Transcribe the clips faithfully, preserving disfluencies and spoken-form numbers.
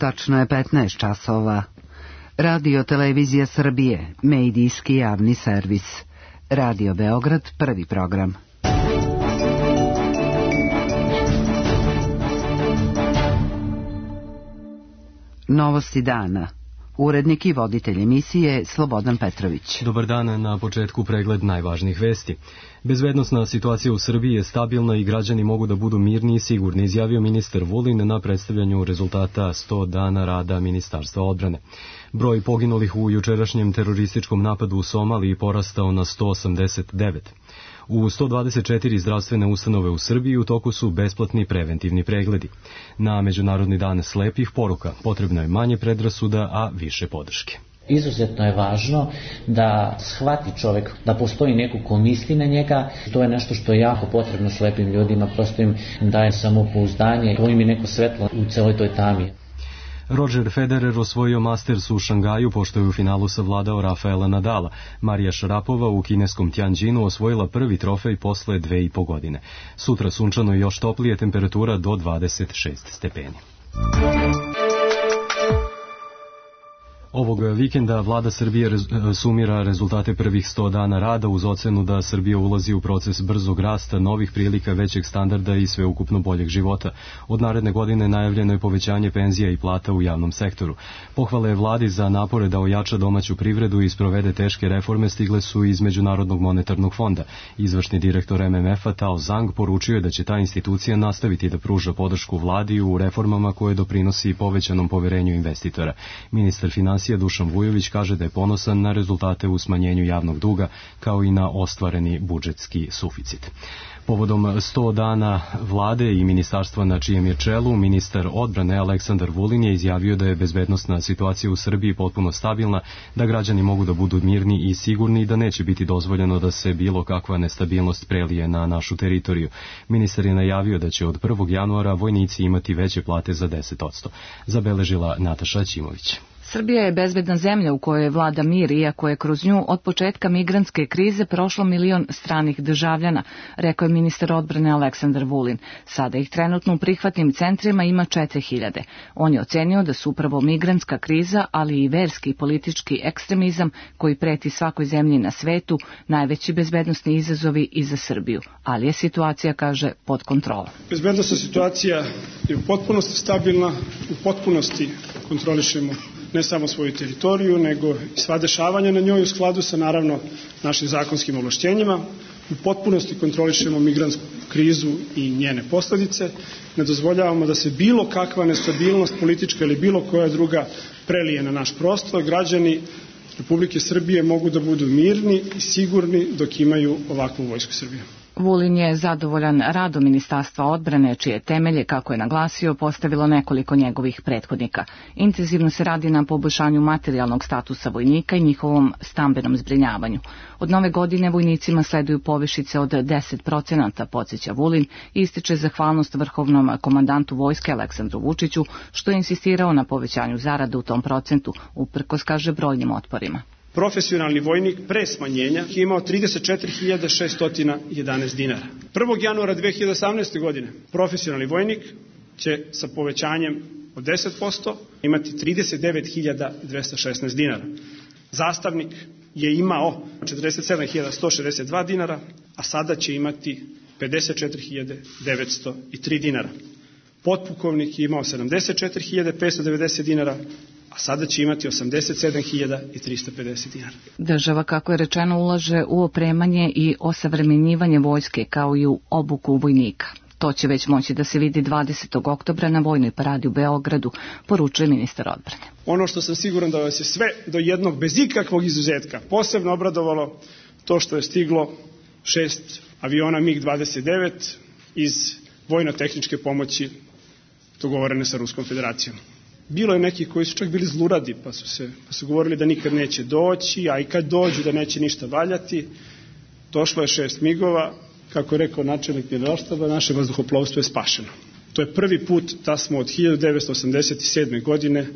Tačno je petnaest časova. Radio Televizija Srbije, medijski javni servis. Radio Beograd, prvi program. Novosti dana. Urednik i voditelj emisije Slobodan Petrović. Dobar dan, na početku pregled najvažnijih vesti. Bezbednosna situacija u Srbiji je stabilna i građani mogu da budu mirni i sigurni, izjavio ministar Vulin na predstavljanju rezultata sto dana rada Ministarstva odbrane. Broj poginulih u jučerašnjem terorističkom napadu u Somaliji porastao na sto osamdeset devet. U sto dvadeset četiri zdravstvene ustanove u Srbiji u toku su besplatni preventivni pregledi. Na Međunarodni dan slepih poruka potrebno je manje predrasuda, a više podrške. Izuzetno je važno da shvati čovjek da postoji neko ko misli na njega. To je nešto što je jako potrebno slepim ljudima, prosto im daje samopouzdanje, to im je neko svetlo u celoj toj tami. Roger Federer osvojio Masters u Šangaju pošto je u finalu savladao Rafaela Nadala. Marija Šarapova u kineskom Tianjinu osvojila prvi trofej posle dve i po godine. Sutra sunčano i još toplije, temperatura do dvadeset šest stepeni. Ovog vikenda vlada Srbije rez, sumira rezultate prvih sto dana rada uz ocenu da Srbija ulazi u proces brzog rasta, novih prilika, većeg standarda i sveukupno boljeg života. Od naredne godine najavljeno je povećanje penzija i plata u javnom sektoru. Pohvale je vladi za napore da ojača domaću privredu i sprovede teške reforme stigle su iz Međunarodnog monetarnog fonda. Izvršni direktor M M F-a Tao Zhang poručio je da će ta institucija nastaviti da pruža podršku vladi u reformama koje doprinosi povećanom poverenju investitora. Ministar finansija Dušan Vujović kaže da je ponosan na rezultate u smanjenju javnog duga kao i na ostvareni budžetski suficit. Povodom sto dana vlade i ministarstva na čijem je čelu, ministar odbrane Aleksandar Vulin je izjavio da je bezbednosna situacija u Srbiji potpuno stabilna, da građani mogu da budu mirni i sigurni i da neće biti dozvoljeno da se bilo kakva nestabilnost prelije na našu teritoriju. Ministar je najavio da će od prvog januara vojnici imati veće plate za deset posto. Zabeležila Nataša Ćimović. Srbija je bezbedna zemlja u kojoj vlada mir, iako je kroz nju od početka migrantske krize prošlo milion stranih državljana, rekao je ministar odbrane Aleksandar Vulin. Sada ih trenutno u prihvatnim centrima ima četiri hiljade. On je ocenio da su upravo migrantska kriza, ali i verski i politički ekstremizam koji preti svakoj zemlji na svetu najveći bezbednosni izazovi i za Srbiju. Ali je situacija, kaže, pod kontrolom. Bezbednosna situacija je u potpunosti stabilna, u potpunosti kontrolišemo ne samo svoju teritoriju, nego i sva dešavanja na njoj u skladu sa, naravno, našim zakonskim ovlašćenjima. U potpunosti kontrolišemo migrantsku krizu i njene posledice. Ne dozvoljavamo da se bilo kakva nestabilnost politička ili bilo koja druga prelije na naš prostor. Građani Republike Srbije mogu da budu mirni i sigurni dok imaju ovakvu vojsku Srbije. Vulin je zadovoljan radom Ministarstva odbrane, čije temelje, kako je naglasio, postavilo nekoliko njegovih prethodnika. Intenzivno se radi na poboljšanju materijalnog statusa vojnika i njihovom stambenom zbrinjavanju. Od nove godine vojnicima sleduju povišice od deset procenata, podsjeća Vulin, i ističe zahvalnost vrhovnom komandantu vojske Aleksandru Vučiću, što je insistirao na povećanju zarada u tom procentu, uprkos, kaže, brojnim otporima. Profesionalni vojnik pre smanjenja je imao trideset četiri hiljade šesto jedanaest dinara. prvog januara dve hiljade osamnaeste. godine profesionalni vojnik će sa povećanjem od deset posto imati trideset devet hiljada dvesta šesnaest dinara. Zastavnik je imao četrdeset sedam hiljada sto šezdeset dva dinara, a sada će imati pedeset četiri hiljade devetsto tri dinara. Potpukovnik je imao sedamdeset četiri hiljade petsto devedeset dinara, a sada će imati osamdeset sedam hiljada tristo pedeset dinara. Država, kako je rečeno, ulaže u opremanje i osavremenjivanje vojske kao i u obuku vojnika. To će već moći da se vidi dvadesetog oktobra na vojnoj paradi u Beogradu, poručuje ministar odbrane. Ono što sam siguran da vas je sve do jednog, bez ikakvog izuzetka, posebno obradovalo to što je stiglo šest aviona MiG dvadeset devet iz vojno-tehničke pomoći dogovorene sa Ruskom federacijom. Bilo je neki koji su čak bili zluradi, pa su, se, pa su govorili da nikad neće doći, a i kad dođu da neće ništa valjati. Došlo je šest migova, kako je rekao načelnik generalštaba, naše vazduhoplovstvo je spašeno. To je prvi put da smo od hiljadu devetsto osamdeset sedme. godine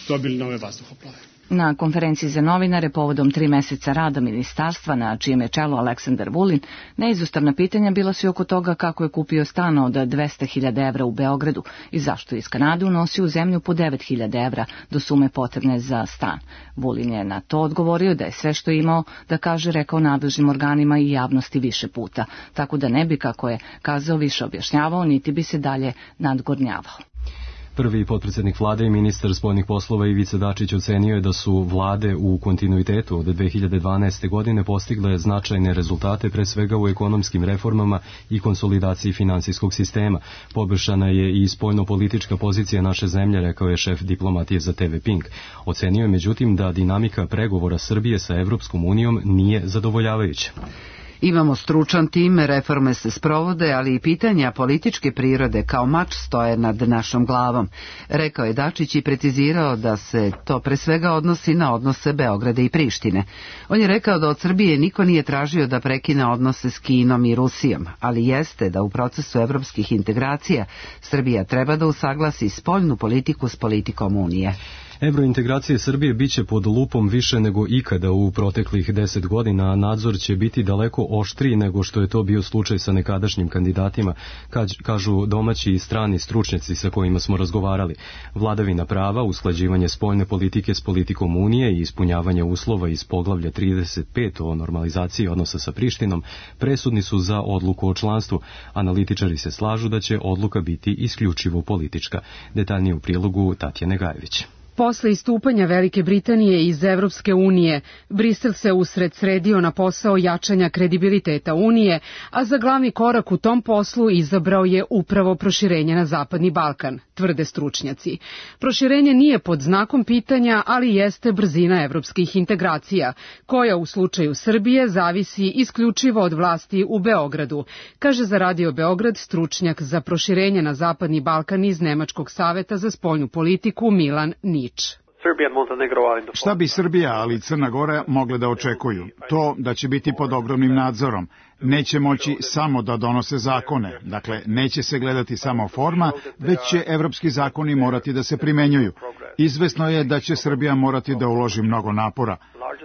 dobili nove vazduhoplove. Na konferenciji za novinare povodom tri meseca rada ministarstva, na čijem je čelu Aleksandar Vulin, neizostavna pitanja bila su oko toga kako je kupio stan od dvesta hiljada evra u Beogradu i zašto je iz Kanade unosio u zemlju po devet hiljada evra do sume potrebne za stan. Vulin je na to odgovorio da je sve što je imao da kaže rekao nadležnim organima i javnosti više puta, tako da ne bi, kako je kazao, više objašnjavao, niti bi se dalje nadgornjavao. Prvi potpredsjednik vlade i ministar spoljnih poslova Ivica Dačić ocenio je da su vlade u kontinuitetu od dve hiljade dvanaeste. godine postigle značajne rezultate, pre svega u ekonomskim reformama i konsolidaciji finansijskog sistema. Poboljšana je i spoljno-politička pozicija naše zemlje, rekao je šef diplomatije za te ve Pink. Ocenio je međutim da dinamika pregovora Srbije sa Evropskom unijom nije zadovoljavajuća. Imamo stručan tim, reforme se sprovode, ali i pitanja političke prirode kao mač stoje nad našom glavom, rekao je Dačić i precizirao da se to pre svega odnosi na odnose Beograda i Prištine. On je rekao da od Srbije niko nije tražio da prekine odnose s Kinom i Rusijom, ali jeste da u procesu evropskih integracija Srbija treba da usaglasi spoljnu politiku s politikom Unije. Evrointegracije Srbije biće pod lupom više nego ikada u proteklih deset godina, a nadzor će biti daleko oštriji nego što je to bio slučaj sa nekadašnjim kandidatima, kažu domaći i strani stručnjaci sa kojima smo razgovarali. Vladavina prava, usklađivanje spoljne politike s politikom Unije i ispunjavanje uslova iz poglavlja trideset pet o normalizaciji odnosa sa Prištinom presudni su za odluku o članstvu. Analitičari se slažu da će odluka biti isključivo politička. Detaljnije u prilogu Tatjane Gajević. Posle istupanja Velike Britanije iz Evropske unije, Brisel se usred sredio na posao jačanja kredibiliteta Unije, a za glavni korak u tom poslu izabrao je upravo proširenje na Zapadni Balkan, tvrde stručnjaci. Proširenje nije pod znakom pitanja, ali jeste brzina evropskih integracija, koja u slučaju Srbije zavisi isključivo od vlasti u Beogradu, kaže za Radio Beograd stručnjak za proširenje na Zapadni Balkan iz Nemačkog saveta za spoljnu politiku Milan Nič. Šta bi Srbija, ali i Crna Gora mogle da očekuju? To da će biti pod ogromnim nadzorom. Neće moći samo da donose zakone. Dakle, neće se gledati samo forma, već će evropski zakoni morati da se primenjuju. Izvesno je da će Srbija morati da uloži mnogo napora.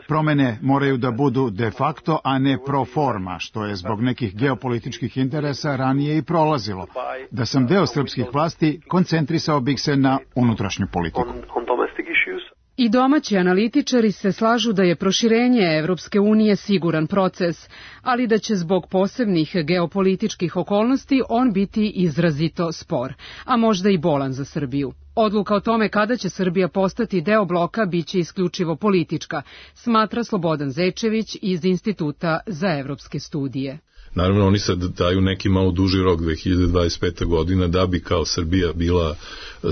Promene moraju da budu de facto, a ne pro forma, što je zbog nekih geopolitičkih interesa ranije i prolazilo. Da sam deo srpskih vlasti, koncentrisao bih se na unutrašnju politiku. I domaći analitičari se slažu da je proširenje Evropske unije siguran proces, ali da će zbog posebnih geopolitičkih okolnosti on biti izrazito spor, a možda i bolan za Srbiju. Odluka o tome kada će Srbija postati deo bloka biće isključivo politička, smatra Slobodan Zečević iz Instituta za evropske studije. Naravno, oni sad daju neki malo duži rok, dve hiljade dvadeset peta. godina, da bi kao Srbija bila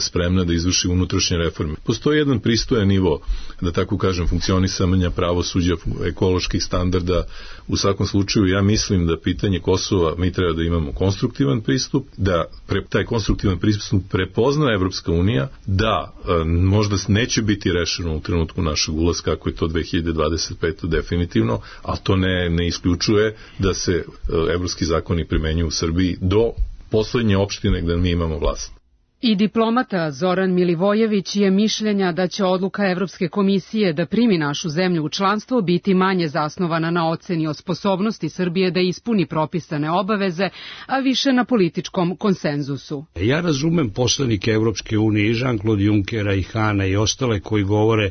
spremna da izvrši unutrašnje reforme. Postoji jedan pristojan nivo, da tako kažem, funkcionisanja pravosuđa, ekoloških standarda. U svakom slučaju, ja mislim da pitanje Kosova mi treba da imamo konstruktivan pristup, da pre, taj konstruktivan pristup prepozna Evropska unija, da e, možda neće biti rešeno u trenutku našeg ulaska, kako je to dve hiljade dvadeset pete. definitivno, ali to ne, ne isključuje da se evropski zakoni primenjuju u Srbiji do poslednje opštine gde mi imamo vlast. I diplomata Zoran Milivojević je mišljenja da će odluka Evropske komisije da primi našu zemlju u članstvo biti manje zasnovana na oceni o sposobnosti Srbije da ispuni propisane obaveze, a više na političkom konsenzusu. Ja razumem poslanike Evropske unije i Jean-Claude Junckera i Hana i ostale koji govore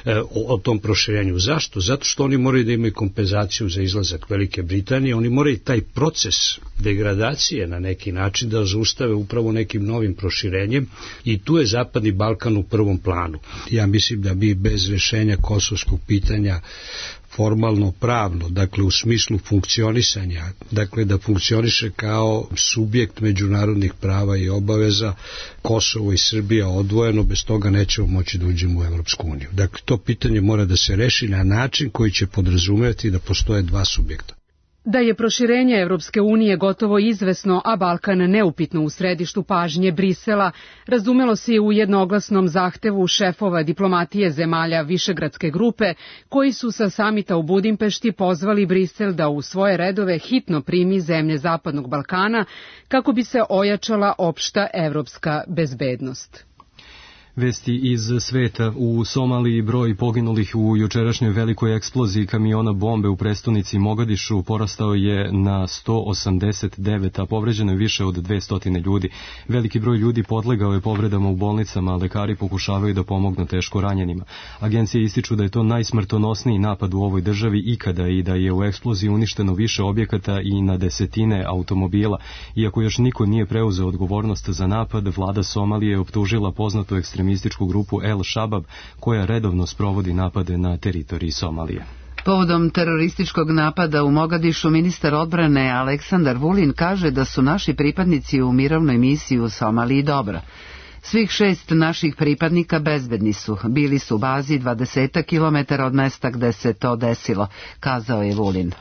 e, o, o tom proširenju. Zašto? Zato što oni moraju da imaju kompenzaciju za izlazak Velike Britanije, oni moraju taj proces degradacije na neki način da zaustave upravo nekim novim proširenjem. I tu je Zapadni Balkan u prvom planu. Ja mislim da bi bez rešenja kosovskog pitanja formalno pravno, dakle u smislu funkcionisanja, dakle da funkcioniše kao subjekt međunarodnih prava i obaveza, Kosovo i Srbija odvojeno, bez toga nećemo moći da uđemo u Evropsku uniju. Dakle, to pitanje mora da se reši na način koji će podrazumevati da postoje dva subjekta. Da je proširenje Evropske unije gotovo izvesno, a Balkan neupitno u središtu pažnje Brisela, razumelo se i u jednoglasnom zahtevu šefova diplomatije zemalja Višegradske grupe, koji su sa samita u Budimpešti pozvali Brisel da u svoje redove hitno primi zemlje Zapadnog Balkana kako bi se ojačala opšta evropska bezbednost. Vesti iz sveta. U Somaliji broj poginulih u jučerašnjoj velikoj eksploziji kamiona bombe u prestonici Mogadišu porastao je na sto osamdeset devet, a povređeno je više od dvesta ljudi. Veliki broj ljudi podlegao je povredama u bolnicama, a lekari pokušavaju da pomognu teško ranjenima. Agencije ističu da je to najsmrtonosniji napad u ovoj državi ikada i da je u eksploziji uništeno više objekata i na desetine automobila. Iako još niko nije preuzeo odgovornost za napad, vlada Somalije je optužila poznatu ekstremističku grupu El Shabab koja redovno sprovodi napade na teritoriji Somalije. Povodom terorističkog napada u Mogadišu ministar odbrane Aleksandar Vulin kaže da su naši pripadnici u mirovnoj misiji u Somaliji dobro. Svih šest naših pripadnika bezbedni su, bili su u bazi dvadeset kilometara od mesta gde se to desilo, kazao je Vulin.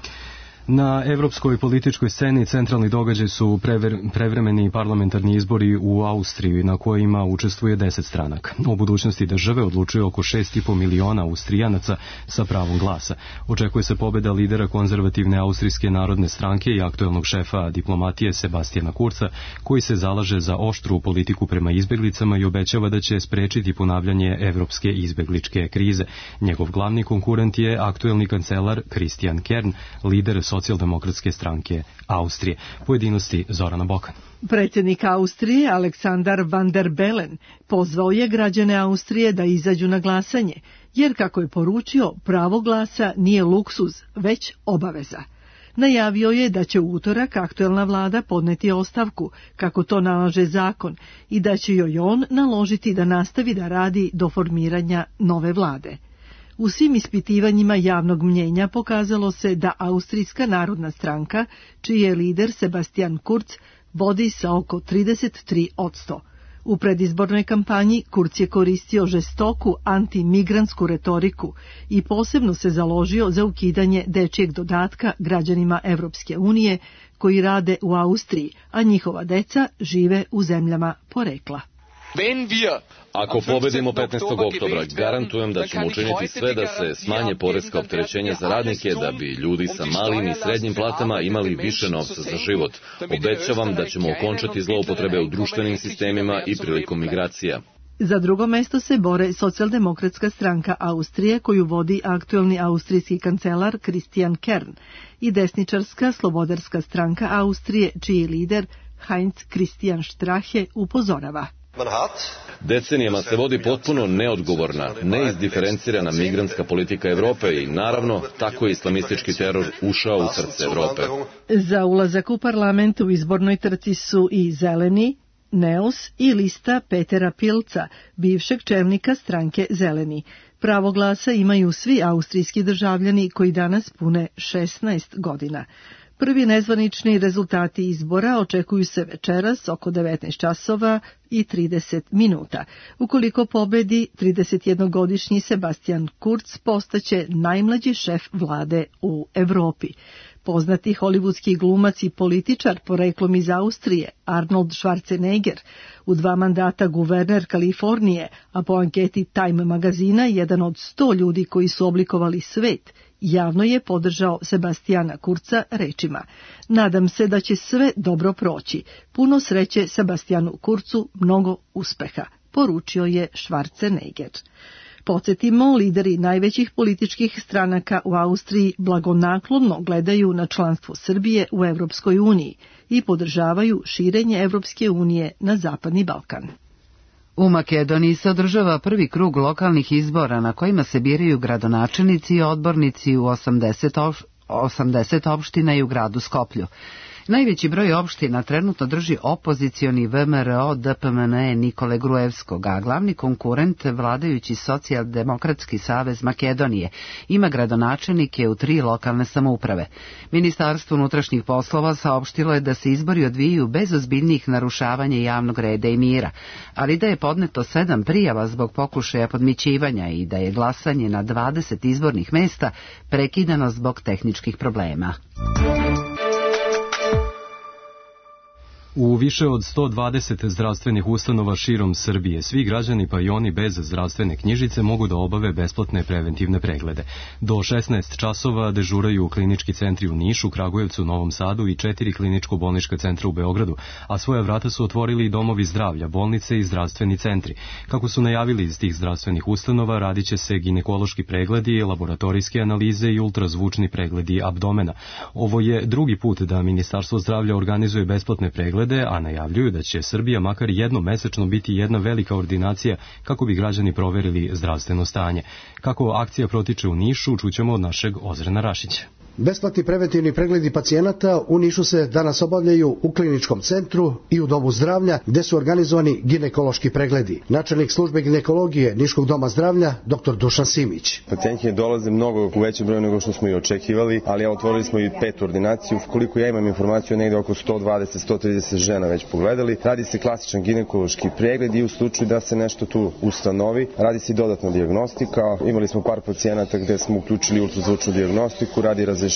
Na evropskoj političkoj sceni centralni događaj su prever, prevremeni parlamentarni izbori u Austriji na kojima učestvuje deset stranaka. O budućnosti države odlučuje oko šest i po miliona Austrijanaca sa pravom glasa. Očekuje se pobeda lidera konzervativne Austrijske narodne stranke i aktuelnog šefa diplomatije Sebastijana Kurca, koji se zalaže za oštru politiku prema izbeglicama i obećava da će sprečiti ponavljanje evropske izbegličke krize. Njegov glavni konkurent je aktuelni kancelar Christian Kern, lider socijaldemokratske stranke Austrije. Pojedinosti Zorana Bokan. Predsjednik Austrije Aleksandar Van der Bellen pozvao je građane Austrije da izađu na glasanje, jer kako je poručio, pravo glasa nije luksuz, već obaveza. Najavio je da će u utorak aktuelna vlada podneti ostavku, kako to nalaže zakon, i da će joj on naložiti da nastavi da radi do formiranja nove vlade. U svim ispitivanjima javnog mnjenja pokazalo se da Austrijska narodna stranka, čiji je lider Sebastian Kurz, vodi sa oko trideset tri posto. U predizbornoj kampanji Kurz je koristio žestoku antimigrantsku retoriku i posebno se založio za ukidanje dečijeg dodatka građanima Evropske unije koji rade u Austriji, a njihova deca žive u zemljama porekla. Ako pobedimo petnaestog oktobra, garantujem da ćemo učiniti sve da se smanje poreska opterećenja za radnike, da bi ljudi sa malim i srednjim platama imali više novca za život. Obećavam da ćemo okončati zloupotrebe u društvenim sistemima i prilikom migracija. Za drugo mesto se bore socijaldemokratska stranka Austrije, koju vodi aktuelni austrijski kancelar Christian Kern, i desničarska slobodarska stranka Austrije, čiji lider Heinz Christian Strache upozorava. Decenijama se vodi potpuno neodgovorna, neizdiferencirana migrantska politika Evrope i naravno tako je islamistički teror ušao u srce Evrope. Za ulazak u parlament u izbornoj trci su i Zeleni, Neos i lista Petera Pilca, bivšeg čelnika stranke Zeleni. Pravo glasa imaju svi austrijski državljani koji danas pune šesnaest godina. Prvi nezvanični rezultati izbora očekuju se večeras oko devetnaest časova i trideset minuta. Ukoliko pobedi, tridesetjednogodišnji Sebastian Kurz postaće najmlađi šef vlade u Evropi. Poznati hollywoodski glumac i političar poreklom iz Austrije, Arnold Schwarzenegger, u dva mandata guverner Kalifornije, a po anketi Time magazina jedan od sto ljudi koji su oblikovali svet, javno je podržao Sebastijana Kurca rečima: "Nadam se da će sve dobro proći. Puno sreće Sebastijanu Kurcu, mnogo uspeha", poručio je Schwarzenegger. Podsjetimo, lideri najvećih političkih stranaka u Austriji blagonaklono gledaju na članstvo Srbije u Evropskoj uniji i podržavaju širenje Evropske unije na Zapadni Balkan. U Makedoniji se održava prvi krug lokalnih izbora na kojima se biraju gradonačelnici i odbornici u osamdeset opština i u gradu Skoplju. Najveći broj opština trenutno drži opozicioni V M R O D P M N E Nikole Gruevskog, a glavni konkurent, vladajući Socijaldemokratski savez Makedonije, ima gradonačelnike u tri lokalne samouprave. Ministarstvo unutrašnjih poslova saopštilo je da se izbori odvijaju bez ozbiljnijih narušavanja javnog reda i mira, ali da je podneto sedam prijava zbog pokušaja podmićivanja i da je glasanje na dvadeset izbornih mesta prekidano zbog tehničkih problema. U više od sto dvadeset zdravstvenih ustanova širom Srbije svi građani pa i oni bez zdravstvene knjižice mogu da obave besplatne preventivne preglede. Do šesnaest časova dežuraju klinički centri u Nišu, Kragujevcu, Novom Sadu i četiri kliničko-bolnička centra u Beogradu, a svoja vrata su otvorili i domovi zdravlja, bolnice i zdravstveni centri. Kako su najavili iz tih zdravstvenih ustanova, radit će se ginekološki pregledi, laboratorijske analize i ultrazvučni pregledi abdomena. Ovo je drugi put da Ministarstvo zdravlja organizuje besplatne preglede, a najavljuju da će Srbija makar jednom mesečno biti jedna velika ordinacija kako bi građani proverili zdravstveno stanje. Kako akcija protiče u Nišu, čućemo od našeg Ozrena Rašića. Besplatni preventivni pregledi pacijenata u Nišu se danas obavljaju u kliničkom centru i u domu zdravlja gde su organizovani ginekološki pregledi. Načelnik službe ginekologije Niškog doma zdravlja dr Dušan Simić. Pacijenti dolaze mnogo u većem broju nego što smo i očekivali, ali ja otvorili smo i petu ordinaciju. Koliko ja imam informaciju, negde oko sto dvadeset do sto trideset žena već pogledali. Radi se klasičan ginekološki pregled i u slučaju da se nešto tu ustanovi, radi se i dodatna dijagnostika. Imali smo par pacijenata gde smo uključili ultrazvučnu dijagnostiku, radi razrešenja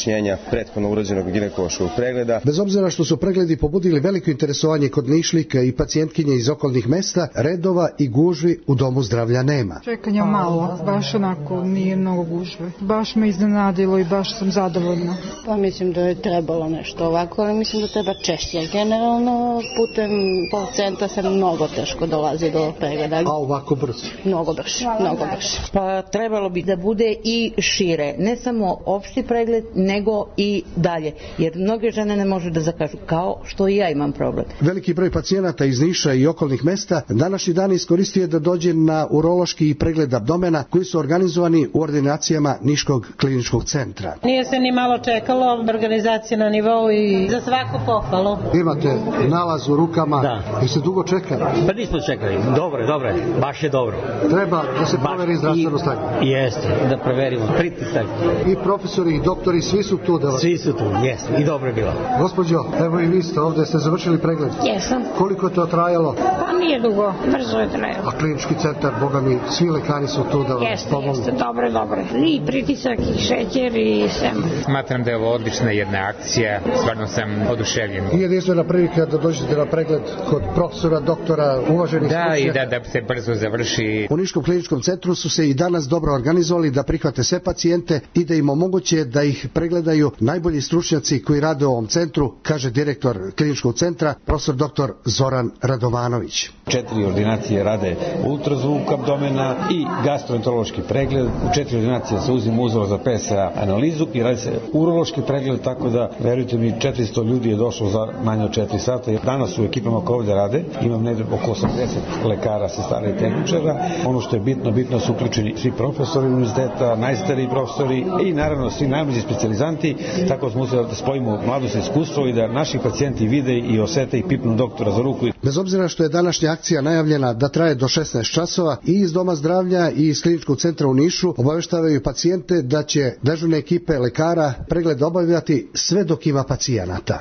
prethodno urađenog ginekološkog pregleda. Bez obzira što su pregledi pobudili veliko interesovanje kod Nišlika i pacijentkinje iz okolnih mesta, redova i gužvi u domu zdravlja nema. Čekanja malo, baš onako nije mnogo gužve. Baš me iznenadilo i baš sam zadovoljna. Pa mislim da je trebalo nešto ovako, ali mislim da treba češće. Generalno putem pol centra se mnogo teško dolazi do pregleda. A ovako brzo? Mnogo brže, mnogo brže. Pa trebalo bi da bude i šire, ne samo opšti pregled, nego i dalje, jer mnoge žene ne može da zakažu, kao što i ja imam problem. Veliki broj pacijenata iz Niša i okolnih mesta današnji dan iskoristio da dođe na urološki pregled abdomena koji su organizovani u ordinacijama Niškog kliničkog centra. Nije se ni malo čekalo, organizacija na nivou i za svaku pohvalu. Imate nalaz u rukama, da. I se dugo čeka? Pa nismo čekali, dobro, dobro, baš je dobro. Treba da se proveri zdravstveno stanje. Jeste, da proverimo pritisak. I profesori i doktori, svi su tu da vas... Svi su tu, jeste, i dobro je bilo. Gospođo, evo i vi ste ovde, ste završili pregled? Jesam. Koliko je to trajalo? Pa nije dugo, brzo je trajalo. A klinički centar, boga mi, svi lekari su tu da vas pomogu? Jeste, jeste, dobro, dobro. I pritisak, i šećer, i sve. Smatram da je ovo odlična jedna akcija, stvarno sam oduševljen. I jedinstvena prilika da dođete na pregled kod profesora, doktora, uvaženih da, stručnjaka. Da, i da, da se brzo završi. U Niškom kliničkom centru su se i danas dobro organizovali da prihvate sve pacijente i da im omoguće da ih pregledaju najbolji stručnjaci koji rade u ovom centru, kaže direktor kliničkog centra, profesor doktor Zoran Radovanović. Četiri ordinacije rade ultrazvuk abdomena i gastroenterološki pregled. U četiri ordinacije se uzima uzor za P S A analizu i radi se urološki pregled, tako da, verujte mi, četiristo ljudi je došlo za manje od četiri sata. Danas u ekipama koje ovde rade, imam negde oko osamdeset lekara, sestara i tehničara. Ono što je bitno, bitno su uključeni svi profesori univerziteta, najstariji profesori i naravno svi najmlađi specijalizanti, tako smo uspeli da spojimo mladost i iskustvo i da naši pacijenti vide i osete i pipnu doktora za ruku. Bez obzira što je današnja akcija najavljena da traje do šesnaest časova, i iz Doma zdravlja i iz kliničkog centra u Nišu obaveštavaju pacijente da će dežurne ekipe lekara pregled obavljati sve dok ima pacijenata.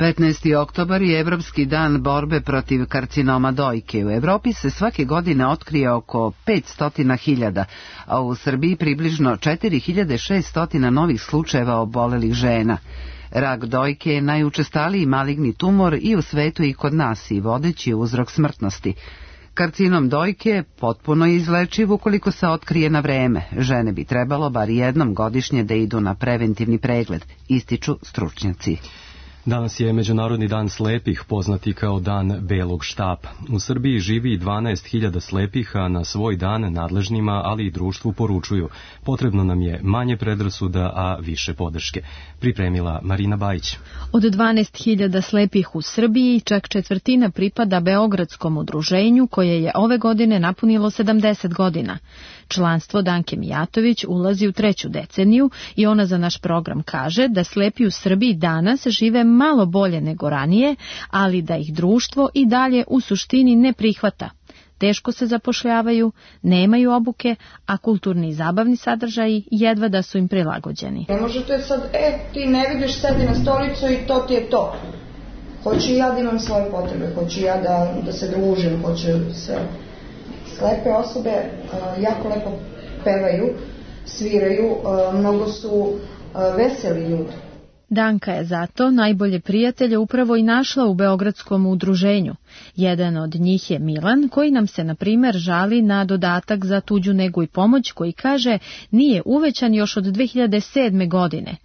petnaesti oktobar je Evropski dan borbe protiv karcinoma dojke. U Evropi se svake godine otkrije oko petsto hiljada, a u Srbiji približno četiri hiljade šesto novih slučajeva obolelih žena. Rak dojke je najučestaliji maligni tumor i u svetu i kod nas i vodeći uzrok smrtnosti. Karcinom dojke potpuno je izlečiv ukoliko se otkrije na vreme. Žene bi trebalo bar jednom godišnje da idu na preventivni pregled, ističu stručnjaci. Danas je Međunarodni dan slepih, poznati kao dan belog štapa. U Srbiji živi dvanaest hiljada slepih, a na svoj dan nadležnima, ali i društvu poručuju: potrebno nam je manje predrasuda, a više podrške. Pripremila Marina Bajić. Od dvanaest hiljada slepih u Srbiji, čak četvrtina pripada Beogradskom udruženju, koje je ove godine napunilo sedamdeset godina. Članstvo Danke Mijatović ulazi u treću deceniju i ona za naš program kaže da slepi u Srbiji danas žive malo bolje nego ranije, ali da ih društvo i dalje u suštini ne prihvata. Teško se zapošljavaju, nemaju obuke, a kulturni i zabavni sadržaji jedva da su im prilagođeni. Ne možete sad, e, ti ne vidiš, sedi na stolicu i to ti je to. Hoću ja da imam svoje potrebe, hoću ja da, da se družim, hoću sve. Slepe osobe uh, jako lepo pevaju, sviraju, uh, mnogo su uh, veseli ljudi. Danka je zato najbolje prijatelje upravo i našla u Beogradskom udruženju. Jedan od njih je Milan, koji nam se, na primer, žali na dodatak za tuđu negu i pomoć, koji kaže nije uvećan još od dve hiljade sedme. godine.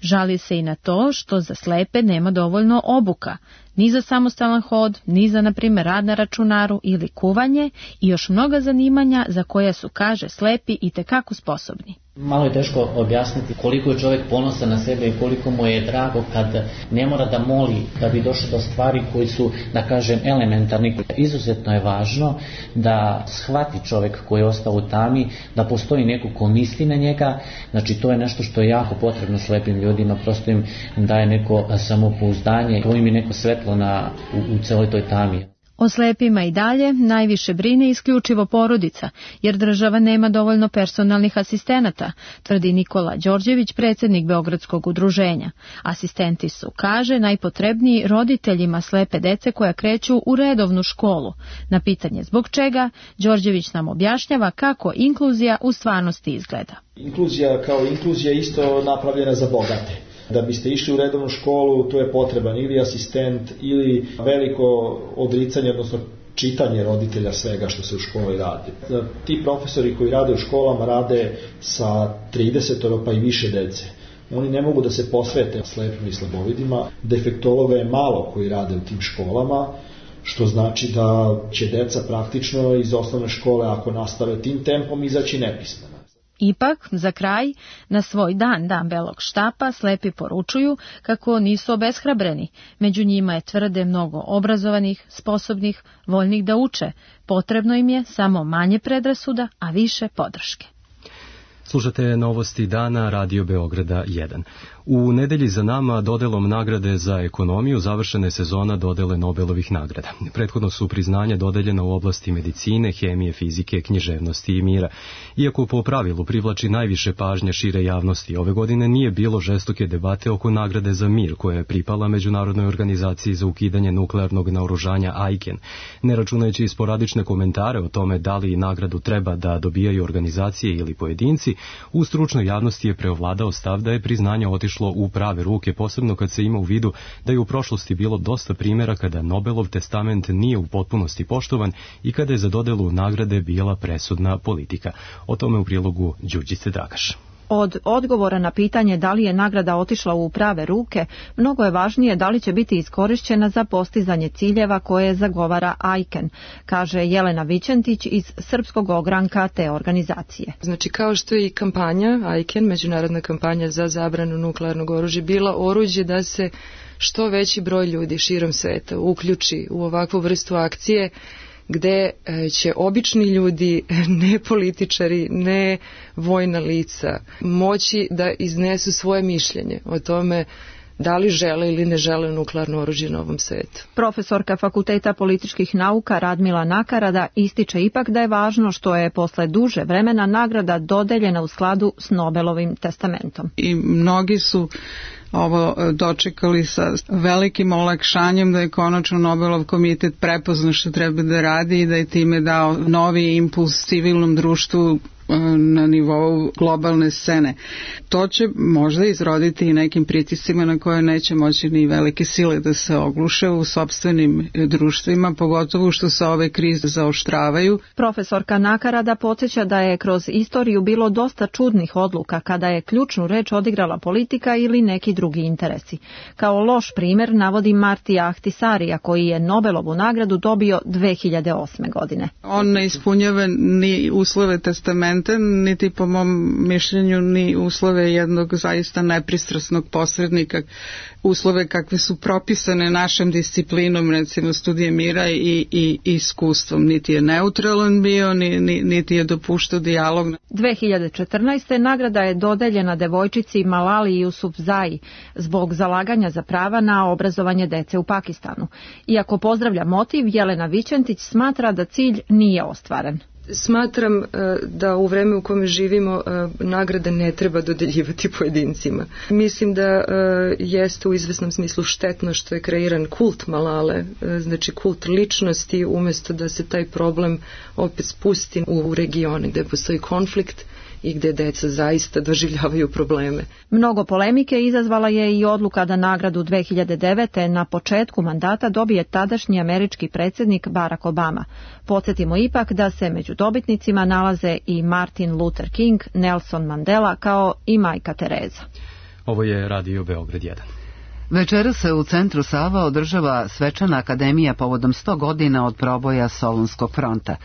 Žali se i na to što za slepe nema dovoljno obuka, ni za samostalan hod, ni za, na primer, rad na računaru ili kuvanje i još mnoga zanimanja za koja su, kaže, slepi i tekako sposobni. Malo je teško objasniti koliko je čovjek ponosan na sebe i koliko mu je drago kad ne mora da moli da bi došao do stvari koji su, da kažem, elementarni. Izuzetno je važno da shvati čovjek koji je ostao u tami, da postoji neko ko misli na njega, znači to je nešto što je jako potrebno slepim ljudima, prosto im daje neko samopouzdanje, to im je neko svetlo na, u, u celoj toj tami. O slepima i dalje najviše brine isključivo porodica, jer država nema dovoljno personalnih asistenata, tvrdi Nikola Đorđević, predsjednik Beogradskog udruženja. Asistenti su, kaže, najpotrebniji roditeljima slepe dece koja kreću u redovnu školu. Na pitanje zbog čega, Đorđević nam objašnjava kako inkluzija u stvarnosti izgleda. Inkluzija kao inkluzija isto napravljena za bogate. Da biste išli u redovnu školu, tu je potreban ili asistent ili veliko odricanje, odnosno čitanje roditelja svega što se u školi radi. Ti profesori koji rade u školama rade sa trideset pa i više dece. Oni ne mogu da se posvete slepim i slabovidima. Defektologa je malo koji rade u tim školama, što znači da će deca praktično iz osnovne škole, ako nastave tim tempom, izaći nepismena. Ipak, za kraj, na svoj dan, dan belog štapa, slepi poručuju kako nisu obeshrabreni. Među njima je, tvrde, mnogo obrazovanih, sposobnih, voljnih da uče. Potrebno im je samo manje predrasuda, a više podrške. Slušate novosti dana Radio Beograda jedan. U nedelji za nama dodelom nagrade za ekonomiju završena je sezona dodele Nobelovih nagrada. Prethodno su priznanja dodeljena u oblasti medicine, hemije, fizike, književnosti i mira. Iako po pravilu privlači najviše pažnje šire javnosti, ove godine nije bilo žestoke debate oko nagrade za mir koja je pripala Međunarodnoj organizaciji za ukidanje nuklearnog naoružanja ajken. Ne računajući sporadične komentare o tome da li nagradu treba da dobijaju organizacije ili pojedinci, u stručnoj javnosti je preovladao stav da je priznanje otišlo u prave ruke, posebno kad se ima u vidu da je u prošlosti bilo dosta primjera kada Nobelov testament nije u potpunosti poštovan i kada je za dodelu nagrade bila presudna politika. O tome u prilogu Đurđice Dragaš. Od odgovora na pitanje da li je nagrada otišla u prave ruke, mnogo je važnije da li će biti iskorišćena za postizanje ciljeva koje zagovara ajken, kaže Jelena Vićentić iz srpskog ogranka te organizacije. Znači, kao što je i kampanja ajken, međunarodna kampanja za zabranu nuklearnog oružja, bila oruđe da se što veći broj ljudi širom sveta uključi u ovakvu vrstu akcije, gde će obični ljudi, ne političari, ne vojna lica, moći da iznesu svoje mišljenje o tome da li žele ili ne žele nuklearno oružje na ovom svetu. Profesorka Fakulteta političkih nauka Radmila Nakarada ističe ipak da je važno što je posle duže vremena nagrada dodeljena u skladu s Nobelovim testamentom. I mnogi su ovo dočekali sa velikim olakšanjem da je konačno Nobelov komitet prepoznao što treba da radi i da je time dao novi impuls civilnom društvu na nivou globalne scene. To će možda izroditi i nekim pritiscima na koje neće moći ni velike sile da se ogluše u sopstvenim društvima, pogotovo što se ove krize zaoštravaju. Profesorka Nakarada podsjeća da je kroz istoriju bilo dosta čudnih odluka kada je ključnu reč odigrala politika ili neki drugi interesi. Kao loš primjer navodi Martija Ahtisarija, koji je Nobelovu nagradu dobio dve hiljade osme. godine. On ne ispunjava ni uslove testamenta, niti po mom mišljenju ni uslove jednog zaista nepristrasnog posrednika, uslove kakve su propisane našem disciplinom, recimo studije mira i, i, i iskustvom. Niti je neutralan bio, ni, ni, niti je dopuštao dijalog. dve hiljade četrnaeste. nagrada je dodeljena devojčici Malali Jusufzai zbog zalaganja za prava na obrazovanje dece u Pakistanu. Iako pozdravlja motiv, Jelena Vićentić smatra da cilj nije ostvaren. Smatram da u vreme u kome živimo nagrade ne treba dodeljivati pojedincima. Mislim da jeste u izvesnom smislu štetno što je kreiran kult Malale, znači kult ličnosti, umjesto da se taj problem opet spusti u regione gde postoji konflikt i gde deca zaista doživljavaju probleme. Mnogo polemike izazvala je i odluka da nagradu dve hiljade devete. na početku mandata dobije tadašnji američki predsjednik Barack Obama. Podsjetimo ipak da se među dobitnicima nalaze i Martin Luther King, Nelson Mandela kao i majka Tereza. Ovo je Radio Beograd jedan. Večeras se u centru Sava održava svečana akademija povodom sto godina od proboja Solunskog fronta.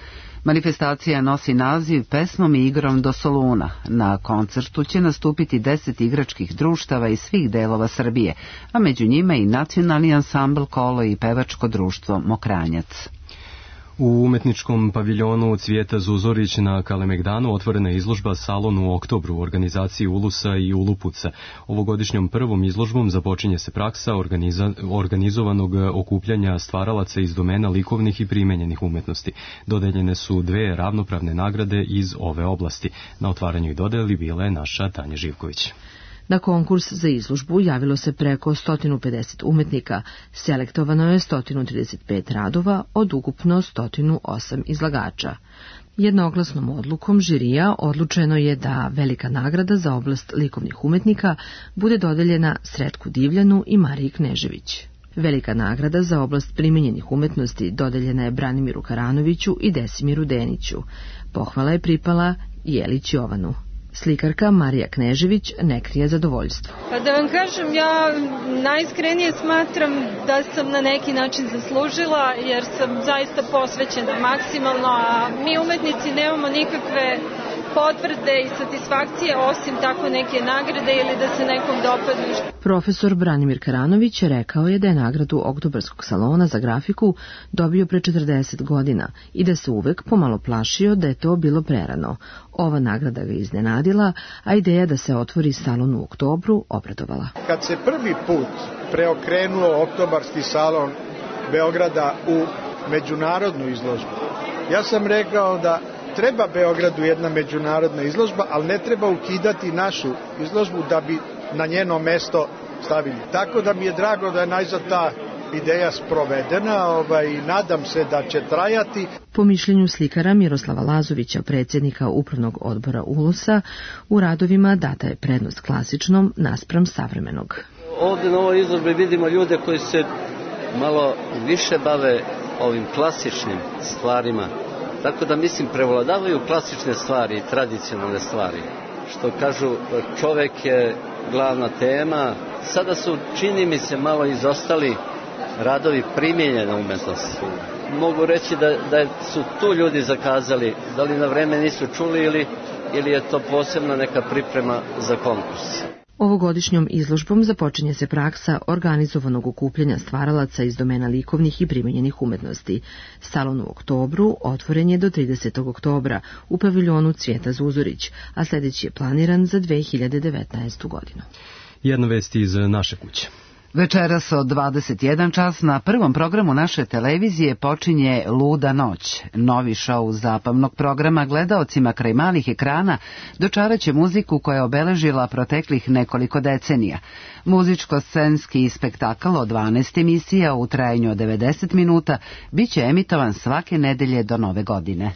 Manifestacija nosi naziv Pesmom i igrom do Soluna. Na koncertu će nastupiti deset igračkih društava iz svih delova Srbije, a među njima i nacionalni ansambl Kolo i pevačko društvo Mokranjac. U umetničkom paviljonu Cvijeta Zuzorić na Kalemegdanu otvorena je izložba Salon u oktobru u organizaciji Ulusa i Ulupuca. Ovogodišnjom prvom izložbom započinje se praksa organiza, organizovanog okupljanja stvaralaca iz domena likovnih i primenjenih umetnosti. Dodeljene su dve ravnopravne nagrade iz ove oblasti. Na otvaranju i dodeli bila je naša Tanja Živković. Na konkurs za izložbu javilo se preko sto pedeset umetnika, selektovano je sto trideset pet radova od ukupno sto osam izlagača. Jednoglasnom odlukom žirija odlučeno je da velika nagrada za oblast likovnih umetnika bude dodeljena Sretku Divljanu i Mariji Knežević. Velika nagrada za oblast primenjenih umetnosti dodeljena je Branimiru Karanoviću i Desimiru Deniću. Pohvala je pripala Jelić Jovanu. Slikarka Marija Knežević ne krije zadovoljstvo. Pa da vam kažem, ja najiskrenije smatram da sam na neki način zaslužila, jer sam zaista posvećena maksimalno, a mi umetnici nemamo nikakve potvrde i satisfakcije osim tako neke nagrade ili da se nekom dopadne. Profesor Branimir Karanović rekao je da je nagradu Oktobarskog salona za grafiku dobio pre četrdeset godina i da se uvek pomalo plašio da je to bilo prerano. Ova nagrada ga iznenadila, a ideja da se otvori salon u oktobru obradovala. Kad se prvi put preokrenuo Oktobarski salon Beograda u međunarodnu izložbu, ja sam rekao da treba Beogradu jedna međunarodna izložba, ali ne treba ukidati našu izložbu da bi na njeno mesto stavili. Tako da mi je drago da je najzad ta ideja sprovedena, ovaj, i nadam se da će trajati. Po mišljenju slikara Miroslava Lazovića, predsjednika upravnog odbora Ulusa, u radovima data je prednost klasičnom naspram savremenog. Ovdje na ovoj izložbi vidimo ljude koji se malo više bave ovim klasičnim stvarima. Tako da mislim prevladavaju klasične stvari i tradicionalne stvari. Što kažu, čovek je glavna tema. Sada su, čini mi se, malo izostali radovi primijenjene umetnosti. Mogu reći da, da su tu ljudi zakazali, da li na vreme nisu čuli ili, ili je to posebna neka priprema za konkurs. Ovogodišnjom izložbom započinje se praksa organizovanog okupljanja stvaralaca iz domena likovnih i primenjenih umetnosti. Salon u oktobru otvoren je do tridesetog oktobra u paviljonu Cvijeta Zuzorić, a sljedeći je planiran za dve hiljade devetnaestu godinu. Jedna vest iz naše kuće. Večeras od dvadeset jedan čas na prvom programu naše televizije počinje Luda noć. Novi šou zabavnog programa gledaocima kraj malih ekrana dočaraće muziku koja je obeležila proteklih nekoliko decenija. Muzičko-scenski spektakl od dvanaest emisija u trajanju od devedeset minuta bit će emitovan svake nedelje do nove godine.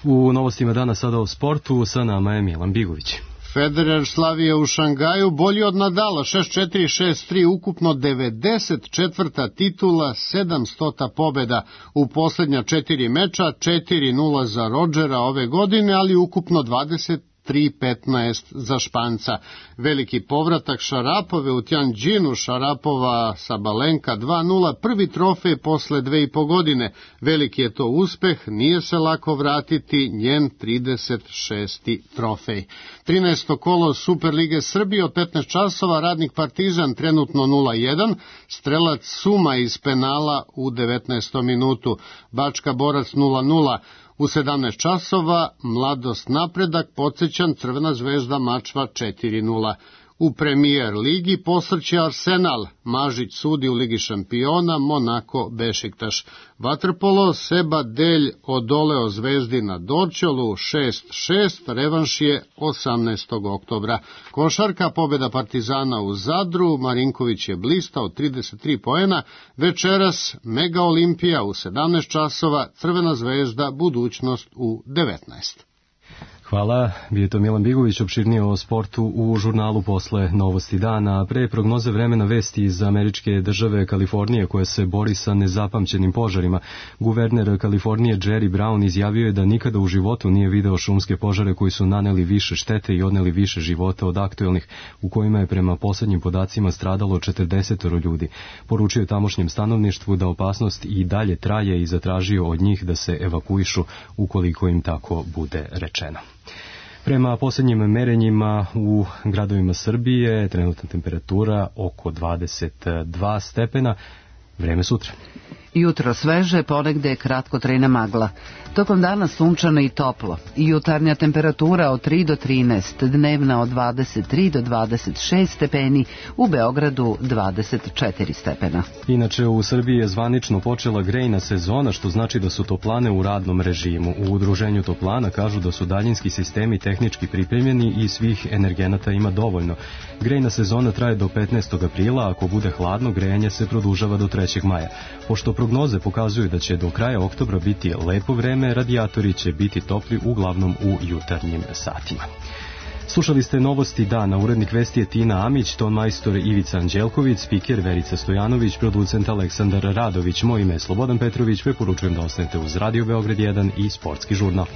U novostima dana sada o sportu, sa nama je Milan Bigović. Federer slavio u Šangaju bolji od Nadala, šest četiri šest tri, ukupno devedeset četvrta titula, sedamstota pobjeda u posljednja četiri meča, četiri nula za Rodgera ove godine, ali ukupno dvadeset tri petnaest za Španca. Veliki povratak Šarapove u Tianjinu, Šarapova Sabalenka dva nula, prvi trofej posle dve i po godine. Veliki je to uspeh, nije se lako vratiti, njen trideset šesti trofej. trinaesto kolo Superlige Srbije od petnaest časova, Radnik Partizan trenutno nula jedan, strelac Suma iz penala u devetnaestom minutu, Bačka Borac nula nula. U sedamnaest časova Mladost Napredak, Podsećan, Crvena Zvezda Mačva četiri nula. U Premier ligi posrće Arsenal, Mažić sudi u Ligi šampiona, Monako Bešiktaš. Vaterpolo, Seba Delj odoleo Zvezdi na Dorćolu šest šest, revanš je osamnaestog oktobra. Košarka, pobjeda Partizana u Zadru, Marinković je blistao trideset tri poena, večeras Mega Olimpija u sedamnaest časova, Crvena Zvezda, Budućnost u devetnaest. Hvala, bio je to Milan Bigović, opširnije o sportu u žurnalu posle Novosti dana. Pre prognoze vremena vesti iz američke države Kalifornije koja se bori sa nezapamćenim požarima. Guverner Kalifornije Jerry Brown izjavio je da nikada u životu nije video šumske požare koji su naneli više štete i odneli više života od aktuelnih, u kojima je prema poslednjim podacima stradalo četrdeset ljudi. Poručio je tamošnjem stanovništvu da opasnost i dalje traje i zatražio od njih da se evakuišu ukoliko im tako bude rečeno. Prema posljednjim merenjima u gradovima Srbije trenutna temperatura oko dvadeset dva stepena, vreme sutra. Jutro sveže, ponegde kratkotrajna magla. Tokom dana sunčano i toplo. Jutarnja temperatura od tri do trinaest, dnevna od dvadeset tri do dvadeset šest stepeni, u Beogradu dvadeset četiri stepena. Inače, u Srbiji je zvanično počela grejna sezona, što znači da su toplane u radnom režimu. U udruženju toplana kažu da su daljinski sistemi tehnički pripremljeni i svih energenata ima dovoljno. Grejna sezona traje do petnaestog aprila, ako bude hladno, grejanje se produžava do trećeg maja. Pošto prognoze pokazuju da će do kraja oktobra biti lepo vreme, radijatori će biti topli uglavnom u jutarnjim satima. Slušali ste Novosti dana, urednik vesti je Tina Amić, ton majstor Ivica Anđelković, spiker Verica Stojanović, producent Aleksandar Radović, moj ime je Slobodan Petrović, preporučujem da ostanete uz Radio Beograd jedan i Sportski žurnal.